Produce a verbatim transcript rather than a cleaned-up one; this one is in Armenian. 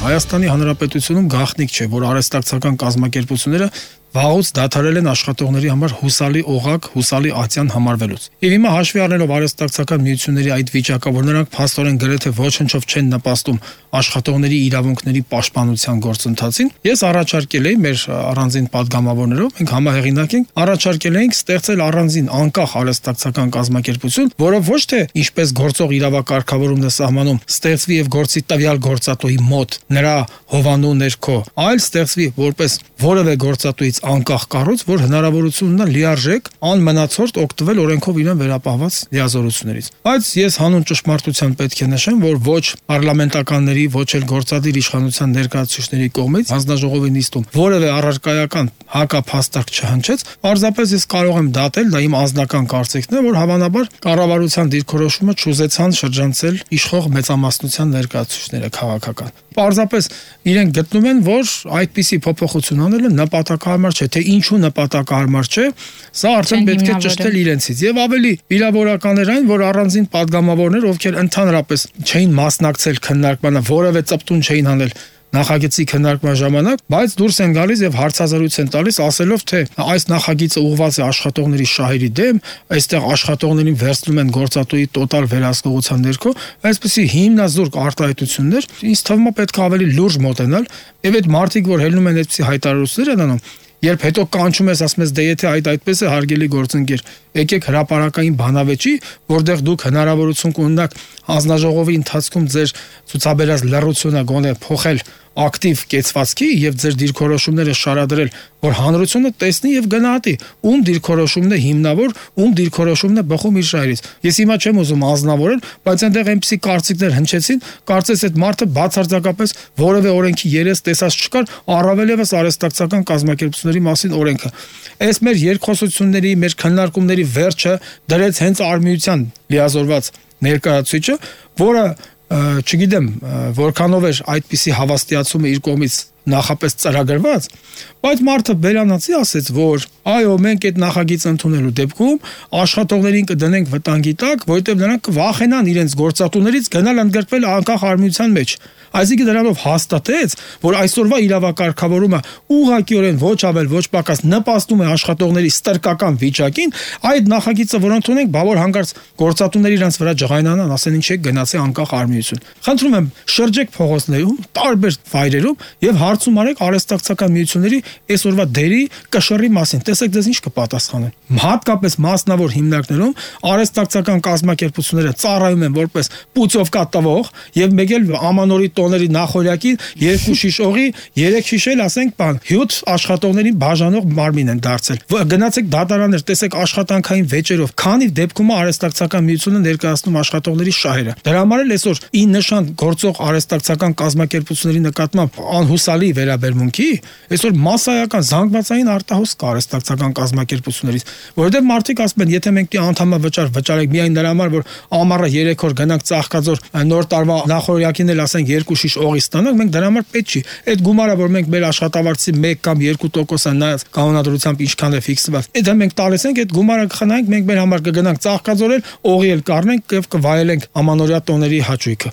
Հայաստանի Հանրապետությունում գաղտնիք չէ, որ արհեստակցական կազմակերպությունները վաղուց դադարել են աշխատողների համար հուսալի օղակ, հուսալի ատյան համարվելուց։ Եվ հիմա հաշվի առնելով արհեստակցական միությունների այդ վիճակը, որ նրանք փաստորեն գրեթե ոչնչով չեն նպաստում աշխատողների իրավունքների պաշտպանության գործընթացին, ես առաջարկել էի մեր առանձին падգամավորներով, մենք համահեղինակ ենք, առաջարկել էինք ստեղծել առանձին անկախ արհեստակցական կազմակերպություն, որը ոչ թե ինչպես գործող իրավակարգավորումն է սահմանում, ստեղծվի եւ գործի տվյալ գործատուի մոտ նրա հովանու ներքո, այլ ստեղծվի որպես որևէ գործատուից անկախ կառույց, որ հնարավորություն ունենա լիարժեք անմնացորդ օգտվել օրենքով իրեն վերապահված լիազորություններից։ Բայց ես հանուն ճշմարտության պետք է նշեմ, որ ոչ պարլամենտականների, ոչ էլ գործադիր իշխանության ներկայացուցիչների կողմից հանձնաժողովի նիստում որևէ առարկայական հակափաստարկ չհնչեց, պարզապես ես կարող եմ դատել, դա իմ անձնական կարծիքն է, որ հավանաբար կառավարության դիրքորոշումը չուզեցան շրջանցել իշխող մեծամասնության ներկայացուցիչները քաղաքական։ Պարզապես իրենք գտնում են, որ այդպիսի փոփոխություն անելը նպատակահարմար չէ, թե ինչու նպատակահարմար չէ, սա արդեն պետք է ճշտել իրենցից։ Եվ ավելի վիրավորական էր այն, որ առանձին падգամավորներ, ովքեր ընդհանրապես չէին մասնակցել քննարկմանը, որևէ ծպտուն չէին անել նախագծի քննարկման ժամանակ, բայց դուրս են գալիս եւ հարցազրույց են տալիս, ասելով, թե այս նախագիծը ուղղված է աշխատողների շահերի դեմ, այստեղ աշխատողներին վերցնում են գործատուի տոտալ վերահսկողության ներքո, այսպեսի հիմնազուրկ արտահայտություններ, ինձ թվում է պետք է ավելի լուրջ մոտենալ, եւ այդ մարդիկ, որ հելնում են այդպիսի հայտարարություններ են անում, երբ հետո կանչում ես, ասում ես, դե եթե այդ այդպես է, հարգելի գործընկեր, եկեք հրապարակային բանավեճի, որտեղ դուք հնարավորություն կունենաք հանձնաժողովի ընթացքում ձեր ցուցաբերած լռությունը գոնե փոխել ակտիվ կեցվածքի եւ ձեր դիրքորոշումները շարադրել, որ հանրությունը տեսնի եւ գնահատի, ում դիրքորոշումն է հիմնավոր, ում դիրքորոշումն է բխում իր շահերից։ Ես հիմա չեմ ուզում ազնվորել, բայց այնտեղ այնպիսի կարծիքներ հնչեցին, կարծես այդ մարդը բացարձակապես որևէ օրենքի երես տեսած չկար, առավել եւս արհեստակցական կազմակերպությունների մասին օրենքը։ Այս մեր երկխոսությունների, մեր քննարկումների վերջը դրեց հենց արմիության լիազորված ներկայացուցիչը, որը չգիտեմ որքանով էր այդպիսի հավաստիացումը իր կողմից նախապես ծրագրված, բայց մարդը բերանացի ասեց, որ այո, մենք այդ նախագիծը ընդունելու դեպքում աշխատողներին կդնենք վտանգի տակ, որովհետև նրանք կվախենան իրենց գործատուներից գնալ ընդգրկվել անկախ արմիության մեջ։ Այսինքն դրանով հաստատեց, որ այսօրվա իրավակարգավորումը ուղղակիորեն ոչ ավել ոչ պակաս նպաստում է աշխատողների ստրկական վիճակին, այդ նախագիծը որ ընդունենք, բավոր հանկարծ գործատուները իրենց վրա ջղայնանան, ասեն ինչ է գնացի անկախ արմիություն։ Խնդրում եմ, շրջեք փողոցներում, տարբեր վայրերում եւ հարցում արեք արհեստակցական միությունների այսօրվա դերի կշռի մասին։ Տեսեք դες ինչ կպատասխանեն։ Հատկապես մասնավոր հիմնարկներում արհեստակցական կազմակերպությունները ծառայում են որպես պուծովկա տվող եւ մեկ էլ ամանորի տոների նախորյակի երկու շիշ օղի, երեք շիշ էլ ասենք բան, հյութ աշխատողներին բաժանող մարմին են դարձել։ Գնացեք դատարաններ, տեսեք աշխատանքային վեճերով, քանի դեպքում արհեստակցական միությունը ներկայացնում աշխատողների շահերը։ Դրա համար էլ այսօր ի նշան գործող արհեստակցական կազմակերպությունների նկատմամբ անհուսալի վերաբերմունքի, այսօր մասսայական զանգվածային արտահոս կա արհեստակցական կազմակերպություններից, որովհետև մարդիկ ասում են, եթե մենք անդամավճար վճարենք միայն նրա համար, որ ամառը երեք օր գնանք Ծաղկաձոր նոր տարվա նախորյակին էլ ասենք երկու շիշ օղի ստանանք, մենք դրա համար պետք չի։ Այդ գումարը, որ մենք մեր աշխատավարձի մեկ կամ երկու տոկոսը նայած կանոնադրությամբ ինչքան է ֆիքսված, դա մենք տալիս ենք, այդ գումարը կխնայենք, մենք մեր համար կգնանք Ծաղկաձորել, օղի էլ կառնենք եւ կվայելենք ամանորյա տոների հաճույքը։